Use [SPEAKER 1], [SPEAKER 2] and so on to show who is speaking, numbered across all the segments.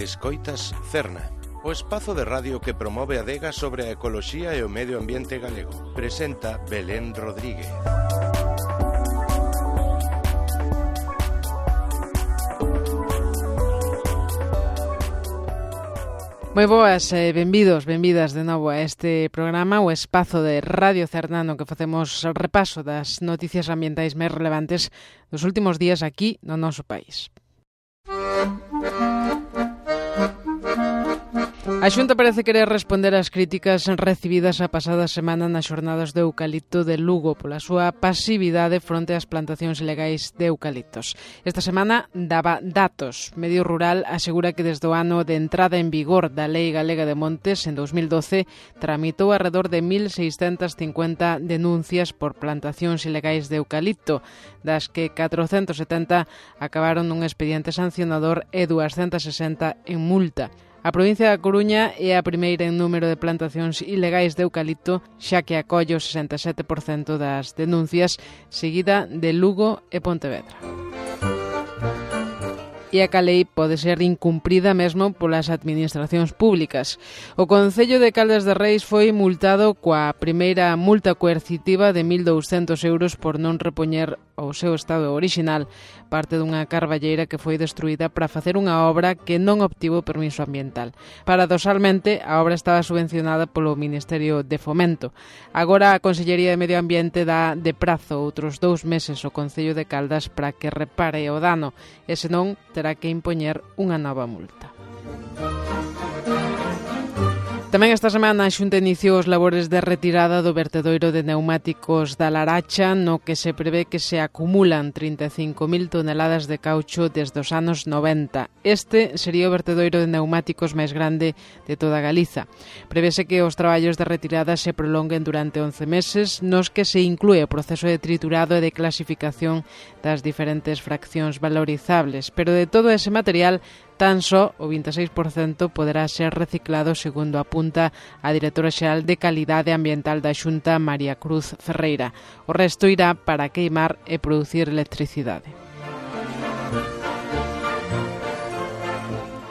[SPEAKER 1] Escoitas Cerna, o espazo de radio que promove a adega sobre a ecoloxía e o medio ambiente galego. Presenta Belén Rodríguez.
[SPEAKER 2] Moi boas e benvidas de novo a este programa, o espazo de Radio Cerna, no que facemos repaso das noticias ambientais máis relevantes dos últimos días aquí no noso país. A Xunta parece querer responder ás críticas recibidas a pasada semana nas xornadas de eucalipto de Lugo pola súa pasividade fronte ás plantacións ilegais de eucaliptos. Esta semana daba datos. Medio Rural asegura que desde o ano de entrada en vigor da Lei Galega de Montes en 2012 tramitou alrededor de 1.650 denuncias por plantacións ilegais de eucalipto, das que 470 acabaron nun expediente sancionador e 260 en multa. A provincia da Coruña é a primeira en número de plantacións ilegais de eucalipto, xa que acolle o 67% das denuncias, seguida de Lugo e Pontevedra. E a lei pode ser incumprida mesmo polas administracións públicas. O Concello de Caldas de Reis foi multado coa primeira multa coercitiva de 1.200 euros por non repoñer ao seu estado orixinal parte dunha carballeira que foi destruída para facer unha obra que non obtivo permiso ambiental. Paradoxalmente, a obra estaba subvencionada polo Ministerio de Fomento. Agora a Consellería de Medio Ambiente dá de prazo outros 2 meses ao Concello de Caldas para que repare o dano, e senón terá que impoñer unha nova multa. Tamén esta semana a Xunta iniciou os labores de retirada do vertedoiro de neumáticos da Laracha, no que se prevé que se acumulan 35.000 toneladas de caucho desde os anos 90. Este sería o vertedoiro de neumáticos máis grande de toda Galiza. Prevese que os traballos de retirada se prolonguen durante 11 meses, nos que se inclúe o proceso de triturado e de clasificación das diferentes fraccións valorizables, pero de todo ese material tan só o 26% poderá ser reciclado, segundo apunta a directora xeral de Calidade Ambiental da Xunta, María Cruz Ferreira. O resto irá para queimar e producir electricidade.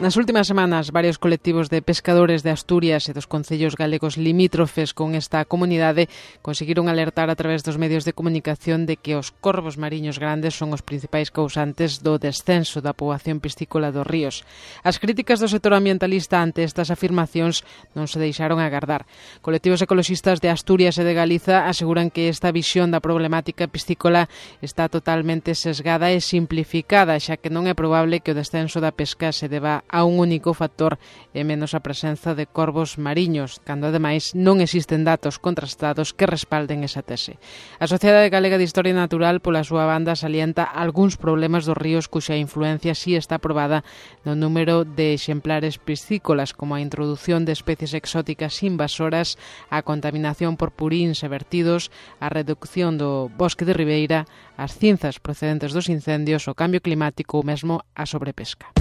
[SPEAKER 2] Nas últimas semanas, varios colectivos de pescadores de Asturias e dos concellos galegos limítrofes con esta comunidade conseguiron alertar a través dos medios de comunicación de que os corvos mariños grandes son os principais causantes do descenso da poboación piscícola dos ríos. As críticas do sector ambientalista ante estas afirmacións non se deixaron agardar. Colectivos ecoloxistas de Asturias e de Galiza aseguran que esta visión da problemática piscícola está totalmente sesgada e simplificada, xa que non é probable que o descenso da pesca se deba a un único factor e menos a presenza de corvos mariños, cando ademais non existen datos contrastados que respalden esa tese. A Sociedade Galega de Historia Natural, pola súa banda, salienta algúns problemas dos ríos cuxa influencia si está probada no número de exemplares piscícolas, como a introdución de especies exóticas invasoras, a contaminación por puríns e vertidos, a reducción do bosque de ribeira, as cinzas procedentes dos incendios, o cambio climático ou mesmo a sobrepesca.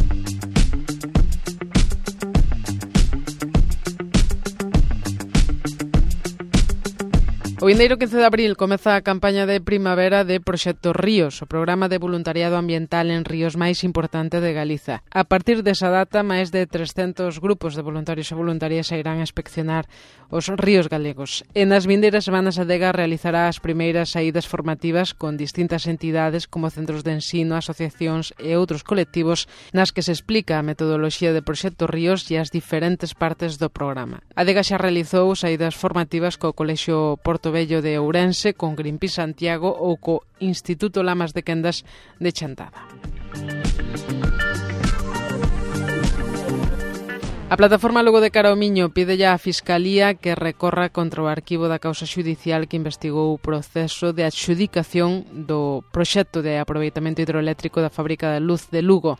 [SPEAKER 2] O vindeiro 15 de abril comeza a campaña de primavera de Proxecto Ríos, o programa de voluntariado ambiental en ríos máis importante de Galiza. A partir desa data, máis de 300 grupos de voluntarios e voluntarias irán a inspeccionar os ríos galegos. En as vindeiras semanas a Adega realizará as primeiras saídas formativas con distintas entidades como centros de ensino, asociacións e outros colectivos nas que se explica a metodoloxía de Proxecto Ríos e as diferentes partes do programa. A Adega xa realizou saídas formativas co Colexio Porto Bello de Ourense, con Greenpeace Santiago ou co Instituto Lamas de Quendas de Chantada. A plataforma Lugo de Cara ao Miño pide á Fiscalía que recorra contra o arquivo da causa xudicial que investigou o proceso de adxudicación do proxecto de aproveitamento hidroeléctrico da fábrica de luz de Lugo.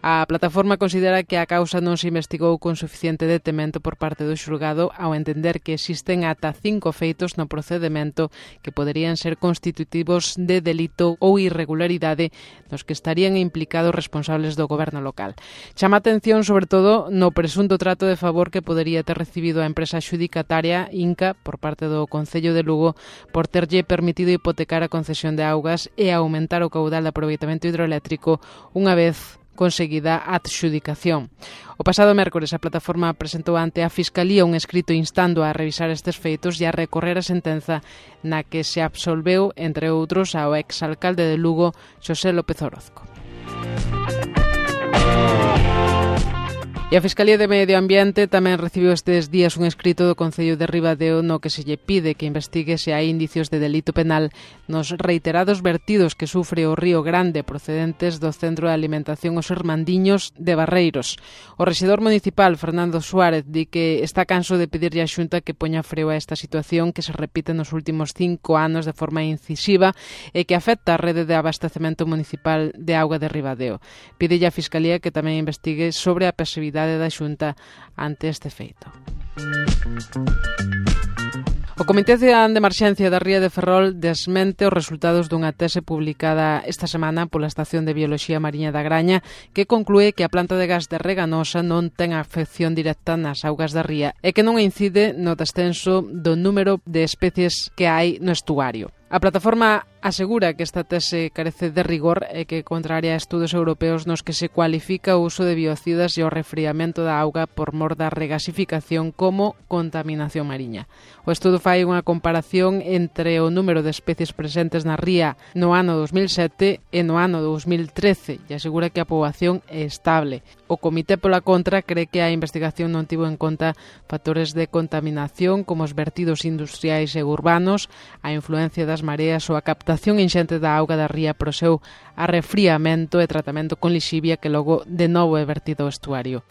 [SPEAKER 2] A plataforma considera que a causa non se investigou con suficiente detemento por parte do xulgado ao entender que existen ata 5 feitos no procedemento que poderían ser constitutivos de delito ou irregularidade nos que estarían implicados responsables do goberno local. Chama atención sobre todo no presunto trato de favor que podería ter recibido a empresa xudicataria Inca por parte do Concello de Lugo por terlle permitido hipotecar a concesión de augas e aumentar o caudal de aproveitamento hidroeléctrico unha vez conseguida adxudicación. O pasado mércores a plataforma presentou ante a Fiscalía un escrito instando a revisar estes feitos e a recorrer a sentenza na que se absolveu, entre outros, ao exalcalde de Lugo, Xosé López Orozco. E a Fiscalía de Medio Ambiente tamén recibiu estes días un escrito do Concello de Ribadeo no que se lle pide que investigue se hai indicios de delito penal nos reiterados vertidos que sufre o Río Grande procedentes do Centro de Alimentación Os Hermandiños de Barreiros. O rexedor municipal, Fernando Suárez, di que está canso de pedirlle á Xunta que poña freo a esta situación que se repite nos últimos 5 anos de forma incisiva e que afecta a rede de abastecemento municipal de auga de Ribadeo. Pídelle á Fiscalía que tamén investigue sobre a pasividade da Xunta ante este feito. O Comité Cidadán de Emerxencia da Ría de Ferrol desmente os resultados dunha tese publicada esta semana pola Estación de Bioloxía Mariña da Graña que conclúe que a planta de gas de Reganosa non ten afección directa nas augas da ría e que non incide no descenso do número de especies que hai no estuario. A plataforma asegura que esta tese carece de rigor e que contraria a estudos europeos nos que se cualifica o uso de biocidas e o refriamento da auga por mor da regasificación como contaminación mariña. O estudo fai unha comparación entre o número de especies presentes na ría no ano 2007 e no ano 2013 e asegura que a poboación é estable. O Comité pola contra cree que a investigación non tivo en conta factores de contaminación como os vertidos industriais e urbanos, a influencia das mareas ou a captación inxente da auga da ría pro seu arrefriamento e tratamento con lixivia que logo de novo é vertido ao estuario.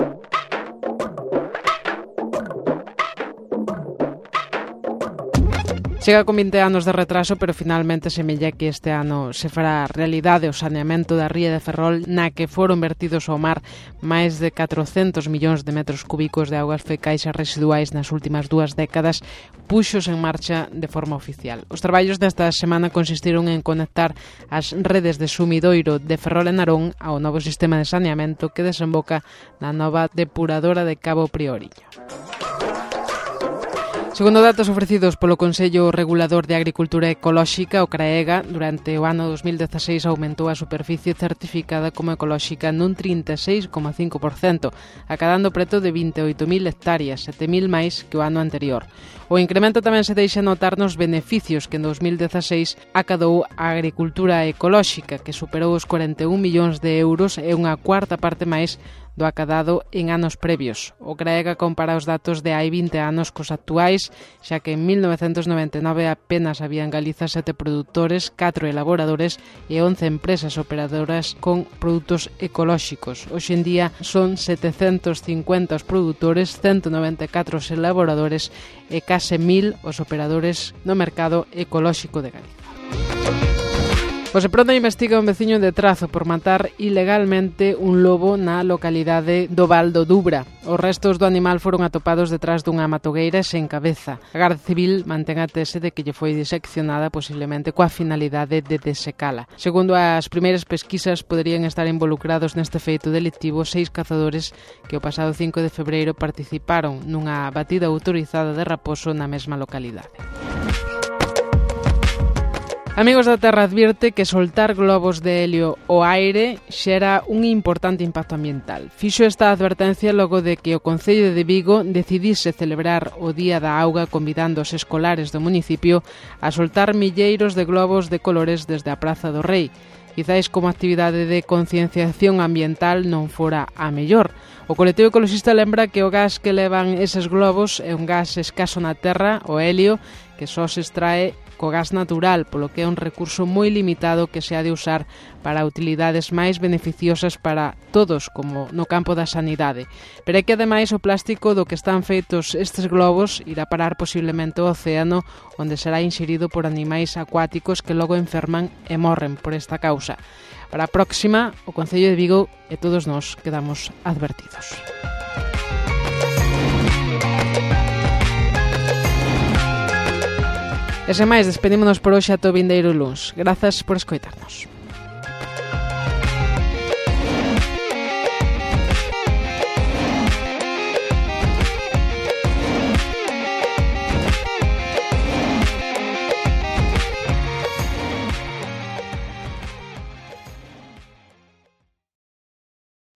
[SPEAKER 2] Chega con 20 anos de retraso, pero finalmente semella que este ano se fará realidade o saneamento da ría de Ferrol na que foron vertidos ao mar máis de 400 millóns de metros cúbicos de augas fecais e residuais nas últimas 2 décadas, puxos en marcha de forma oficial. Os traballos desta semana consistiron en conectar as redes de sumidoiro de Ferrol e Narón ao novo sistema de saneamento que desemboca na nova depuradora de Cabo Prioriño. Segundo datos ofrecidos polo Consello Regulador de Agricultura Ecolóxica, o CRAEGA, durante o ano 2016 aumentou a superficie certificada como ecolóxica nun 36,5%, acadando preto de 28.000 hectáreas, 7.000 máis que o ano anterior. O incremento tamén se deixa notar nos beneficios que en 2016 acadou a agricultura ecolóxica, que superou os 41 millóns de euros e unha cuarta parte máis do acadado en anos previos. O CRAEGA compara os datos de hai 20 anos cos actuais, xa que en 1999 apenas había en Galiza 7 produtores, 4 elaboradores e 11 empresas operadoras con produtos ecolóxicos. Hoxe en día son 750 os produtores, 194 os elaboradores e case 1.000 os operadores no mercado ecolóxico de Galiza. O Seprona investiga un veciño de Trazo por matar ilegalmente un lobo na localidade do Val do Dubra. Os restos do animal foron atopados detrás dunha matogueira sen cabeza. A Garda Civil mantén a tese de que lle foi diseccionada posiblemente coa finalidade de desecala. Segundo as primeiras pesquisas, poderían estar involucrados neste feito delictivo 6 cazadores que o pasado 5 de febreiro participaron nunha batida autorizada de raposo na mesma localidade. Amigos da Terra advirte que soltar globos de helio ao aire xera un importante impacto ambiental. Fixo esta advertencia logo de que o Concello de Vigo decidise celebrar o Día da Auga convidando os escolares do municipio a soltar milleiros de globos de colores desde a Praza do Rei. Quizáis como actividade de concienciación ambiental non fora a mellor. O colectivo ecoloxista lembra que o gas que levan eses globos é un gas escaso na terra, o helio, que só se extrae co gas natural, polo que é un recurso moi limitado que se ha de usar para utilidades máis beneficiosas para todos, como no campo da sanidade. Pero é que ademais o plástico do que están feitos estes globos irá parar posiblemente ao océano, onde será inxerido por animais acuáticos que logo enferman e morren por esta causa. Para a próxima, o Concello de Vigo e todos nós quedamos advertidos. E sen máis, despedímonos por hoxe ata o vindeiro luns. Grazas por escoitarnos.